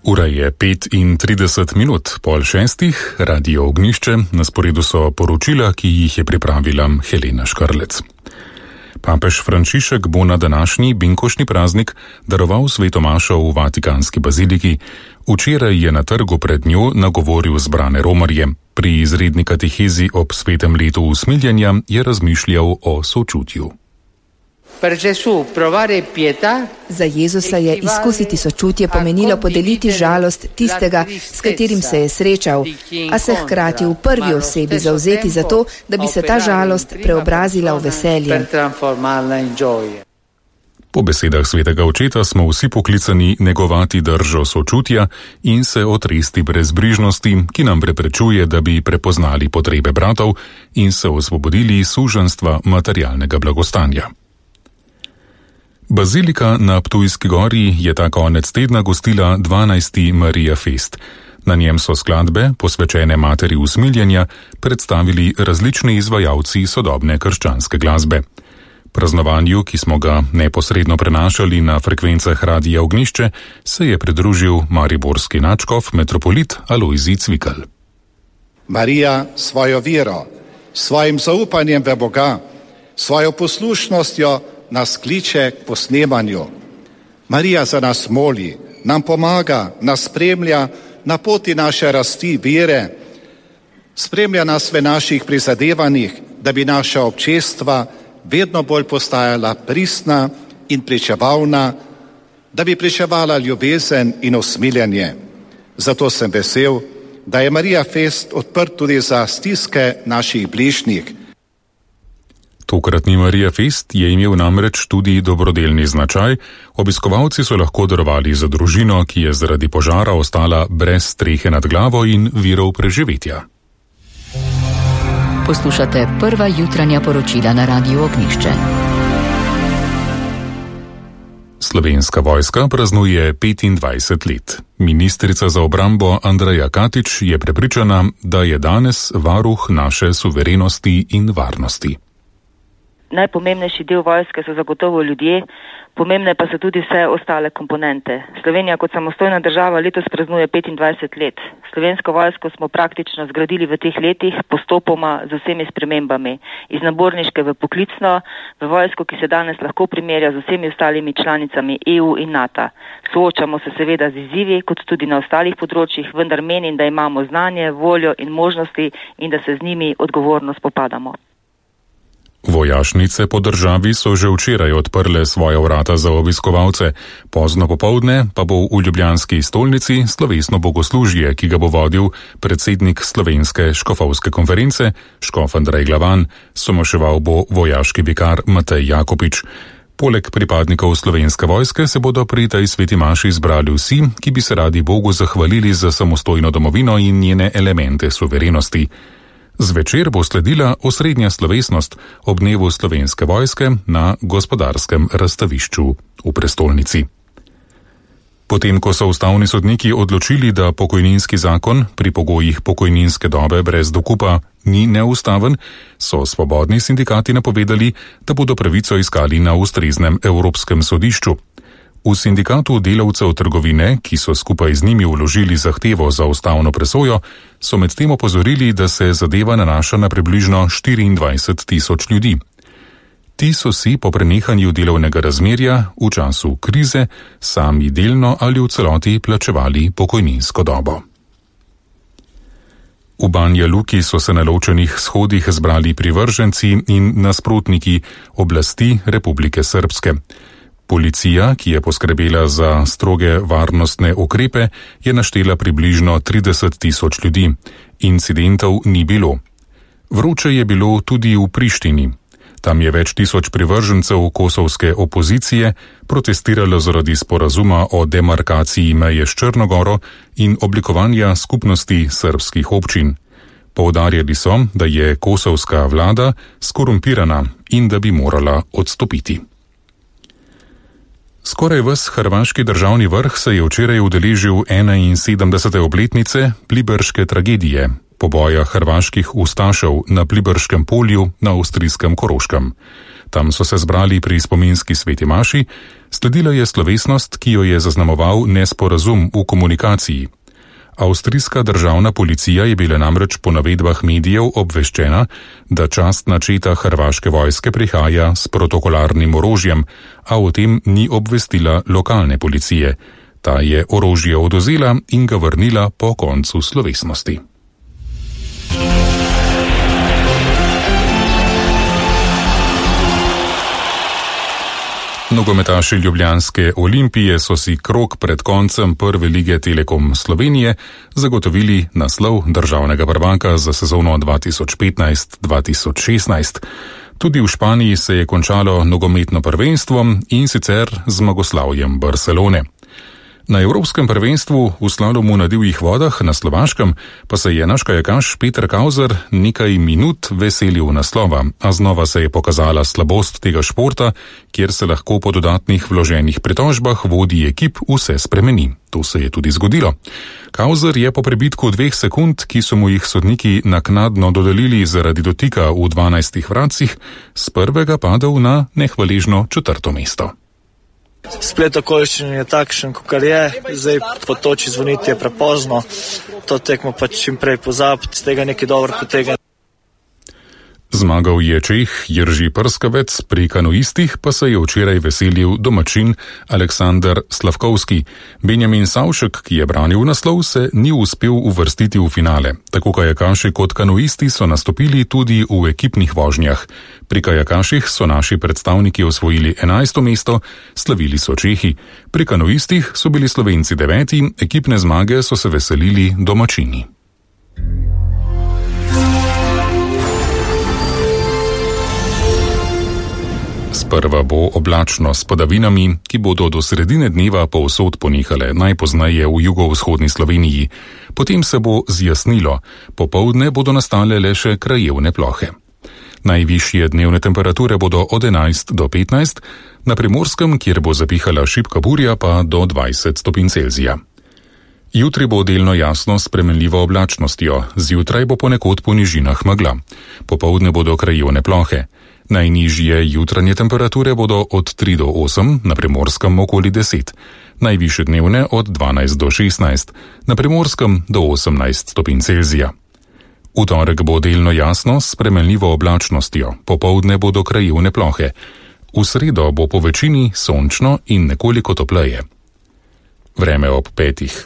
Ura je 5:30, 5:30, Radio Ognjišče, na sporedu so poročila, ki jih je pripravila Helena Škrlec. Papež Frančišek bo na današnji binkoštni praznik daroval sveto mašo v Vatikanski baziliki. Včeraj je na trgu pred njo nagovoril zbrane romarje. Pri izredni katehezi ob svetem letu usmiljenja je razmišljal o sočutju. Za Jezusa je izkusiti sočutje pomenilo podeliti žalost tistega, s katerim se je srečal, a se hkrati v prvi osebi zavzeti za to, da bi se ta žalost preobrazila v veselje. Po besedah svetega očeta smo vsi poklicani negovati držo sočutja in se otresti brezbrižnosti, ki nam preprečuje, da bi prepoznali potrebe bratov in se osvobodili suženjstva materialnega blagostanja. Bazilika na Ptujski gori je ta konec tedna gostila 12. Marija Fest. Na njem so skladbe, posvečene materi usmiljenja, predstavili različni izvajalci sodobne krščanske glasbe. Praznovanju, ki smo ga neposredno prenašali na frekvencah Radia Ognjišče, se je pridružil mariborski nadškof metropolit Alojzij Cvikl. Marija svojo vero, svojim zaupanjem v Boga, svojo poslušnostjo nas kliče k posnemanju. Marija za nas moli, nam pomaga, nas spremlja na poti naše rasti vere, spremlja nas v naših prizadevanjih, da bi naša občestva vedno bolj postajala pristna in pričevalna, da bi pričevala ljubezen in usmiljenje. Zato sem vesel, da je Marija Fest odprt tudi za stiske naših bližnjih. Tokratni Marija Fest je imel namreč tudi dobrodelni značaj. Obiskovalci so lahko darovali za družino, ki je zaradi požara ostala brez strehe nad glavo in virov preživetja. Poslušate prva jutranja poročila na Radiu Ognjišče. Slovenska vojska praznuje 25 let. Ministrica za obrambo Andreja Katič je prepričana, da je danes varuh naše suverenosti in varnosti. Najpomembnejši del vojske so zagotovo ljudje, pomembne pa so tudi vse ostale komponente. Slovenija kot samostojna država letos praznuje 25 let. Slovensko vojsko smo praktično zgradili v teh letih postopoma z vsemi spremembami. Iz naborniške v poklicno, v vojsko, ki se danes lahko primerja z vsemi ostalimi članicami EU in NATO. Soočamo se seveda z izzivi, kot tudi na ostalih področjih, vendar menim, da imamo znanje, voljo in možnosti in da se z njimi odgovorno spopadamo. Vojašnice po državi so že včeraj odprle svoja vrata za obiskovalce. Pozno popoldne pa bo v ljubljanski stolnici slovesno bogoslužje, ki ga bo vodil predsednik Slovenske škofovske konference, škof Andrej Glavan, somaševal bo vojaški vikar Matej Jakopič. Poleg pripadnikov Slovenske vojske se bodo pri tej sveti maši zbrali vsi, ki bi se radi Bogu zahvalili za samostojno domovino in njene elemente suverenosti. Zvečer bo sledila osrednja slovesnost ob dnevu Slovenske vojske na Gospodarskem razstavišču v prestolnici. Potem, ko so ustavni sodniki odločili, da pokojninski zakon pri pogojih pokojninske dobe brez dokupa ni neustaven, so svobodni sindikati napovedali, da bodo pravico iskali na ustreznem Evropskem sodišču. V sindikatu delavcev trgovine, ki so skupaj z njimi vložili zahtevo za ustavno presojo, so medtem opozorili, da se zadeva nanaša na približno 24,000 ljudi. Ti so si po prenehanju delovnega razmerja v času krize sami delno ali v celoti plačevali pokojninsko dobo. V Banja Luki so se na ločenih shodih zbrali privrženci in nasprotniki oblasti Republike Srbske. Policija, ki je poskrbela za stroge varnostne ukrepe, je naštela približno 30,000 ljudi. Incidentov ni bilo. Vroče je bilo tudi v Prištini. Tam je več tisoč privržencev kosovske opozicije protestiralo zaradi sporazuma o demarkaciji meje s Črno-goro in oblikovanja skupnosti srbskih občin. Poudarjali so, da je kosovska vlada skorumpirana in da bi morala odstopiti. Skoraj ves hrvaški državni vrh se je včeraj udeležil 71. obletnice Pliberške tragedije, poboja hrvaških ustašev na Pliberškem polju na avstrijskem Koroškem. Tam so se zbrali pri spominski sveti maši, Sledila je slovesnost, ki jo je zaznamoval nesporazum v komunikaciji. Avstrijska državna policija je bila namreč po navedbah medijev obveščena, da častna četa hrvaške vojske prihaja s protokolarnim orožjem, a o tem ni obvestila lokalne policije. Ta je orožje odvzela in ga vrnila po koncu slovesnosti. Nogometaši ljubljanske Olimpije so si krog pred koncem prve lige Telekom Slovenije zagotovili naslov državnega prvaka za sezono 2015-2016. Tudi v Španiji se je končalo nogometno prvenstvo in sicer z zmagoslavjem Barcelone. Na Evropskem prvenstvu v slalomu na divjih vodah na Slovaškem pa se je naš kajakaš Peter Kauzer nekaj minut veselil naslova, a znova se je pokazala slabost tega športa, kjer se lahko po dodatnih vloženih pritožbah vodji ekip vse spremeni. To se je tudi zgodilo. Kauzer je po prebitku 2 sekund, ki so mu jih sodniki naknadno dodelili zaradi dotika v 12 vratcih, s prvega padel na nehvaležno 4. mesto. Splet okoliščin je takšen, kakor je, zdaj po toči zvoniti je prepozno, to tekmo pa čim prej pozabiti, z tega nekaj dobro potegne. Zmagal je Čeh Jerži Prskavec, pri kanuistih pa se je včeraj veselil domačin Aleksandar Slavkovski. Benjamin Savšek, ki je branil naslov, se ni uspel uvrstiti v finale. Tako kajakaši kot kanuisti so nastopili tudi v ekipnih vožnjah. Pri kajakaših so naši predstavniki osvojili 11. mesto, slavili so Čehi. Pri kanuistih so bili Slovenci 9, ekipne zmage so se veselili domačini. Sprva bo oblačno s padavinami, ki bodo do sredine dneva povsod ponehale, najpozneje v jugovzhodni Sloveniji. Potem se bo zjasnilo, popoldne bodo nastale le še krajevne plohe. Najvišje dnevne temperature bodo od 11 do 15, na Primorskem, kjer bo zapihala šibka burja, pa do 20 stopinj Celzija. Jutri bo delno jasno s spremenljivo oblačnostjo, zjutraj bo ponekod po nižinah megla. Popoldne bodo krajevne plohe. Najnižje jutranje temperature bodo od 3 do 8, na Primorskem okoli 10, najvišje dnevne od 12 do 16, na Primorskem do 18 stopinj Celzija. V torek bo delno jasno s spremenljivo oblačnostjo, popoldne bodo krajevne plohe. V sredo bo po večini sončno in nekoliko topleje. Vreme ob 5.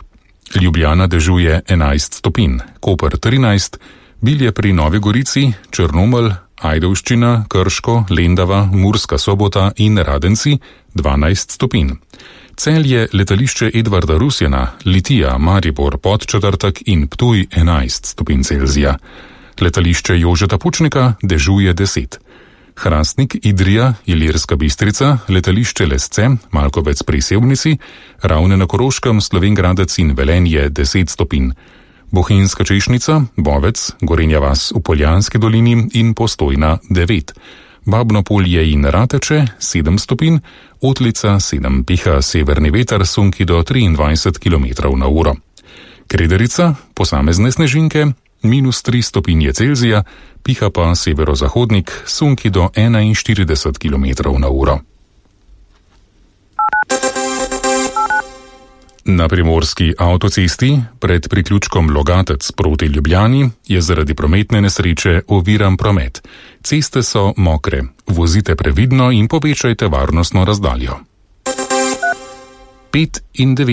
Ljubljana dežuje 11 stopinj, Koper 13, Bilje pri Novi Gorici, Črnomelj, Ajdovščina, Krško, Lendava, Murska Sobota in Radenci 12 stopinj. Celje, letališče Edvarda Rusjana, Litija, Maribor, Podčetrtek in Ptuj 11 stopinj Celzija. Letališče Jožeta Pučnika dežuje 10. Hrastnik, Idrija, Ilirska Bistrica, letališče Lesce, Malkovec pri Sevnici, Ravne na Koroškem, Slovenj Gradec in Velenje 10 stopinj. Bohinjska Češnica, Bovec, Gorenja vas v Poljanski dolini in Postojna 9. Babno Polje in Rateče 7 stopinj, Otlica 7, piha severni veter, sunki do 23 km/h. Krederica, posamezne snežinke, -3 stopinje Celzija, piha pa severozahodnik, sunki do 41 km/h. Na primorski avtocesti pred priključkom Logatec proti Ljubljani je zaradi prometne nesreče oviran promet. Ceste so mokre, vozite previdno in povečajte varnostno razdaljo. 5 in 9